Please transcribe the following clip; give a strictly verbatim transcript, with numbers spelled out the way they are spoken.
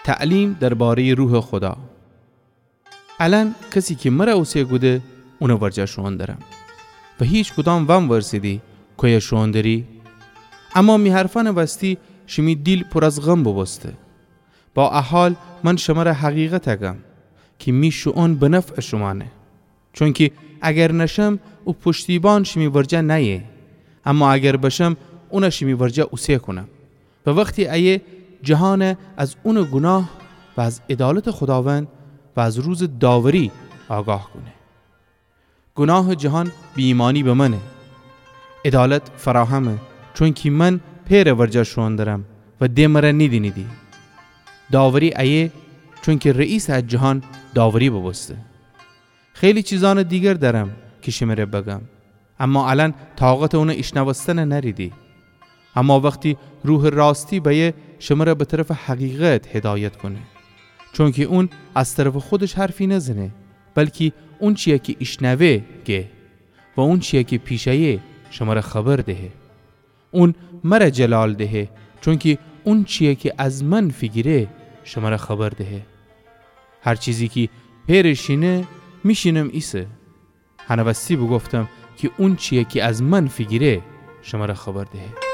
تعلیم درباره‌یٚ روحٚ خودا. الأن کسی کی مرَ اوسه کوده، اونٚ ورجه شوئون درم. و هیکدام وأورسیدی کویه شوئون دری؟ اما می حرفأنٚ وستی شیمی دیل پور از غم بوبوسته. با ا حال من شمرَ حقیقت گم کی می شوئون به نفعٚ شومأنه. چونکی اگر نشم، او پشتیبان شیمی ورجه نأیه. اما اگر بشم، اونَ شیمی ورجه اوسه کونم. و وختی ایه، جهانَ از اونٚ گوناه و از عدالتٚ خوداوند و از روزٚ داوری آگاه کونه. گوناهٚ جهان بی‌ایمأنی به منه. عدالت فراهمه، چونکی من پئرٚ ورجه شوئون درم و د مرَ نیدینیدی. داوری ایه، چونکی رئیسٚ ا جهان داوری بوبوسته. خیلی چیزأنٚ دیگر دأرم کی شمره بگم، اما الأن طاقتٚ اونٚ ایشنوستنَ نأریدی. اما وختی روحٚ راستی بأیه، شمرَ به طرفٚ حقیقت هدایت کونه. چونکی اون از طرفٚ خودش حرفی نزنه، بلکی اونچیی کی ایشنوه گه و اونچیی کی پیش ایه شمرَ خبر دهه. اون مرَ جلال دهه، چونکی اونچیی کی از من فیگیره شمرَ خبر دهه. هر چیزی کی پئرٚ شینه، می شینم ایسه. هنٚ وستی بوگفتم کی اونچیی کی از من فیگیره شمرَ خبر دهه.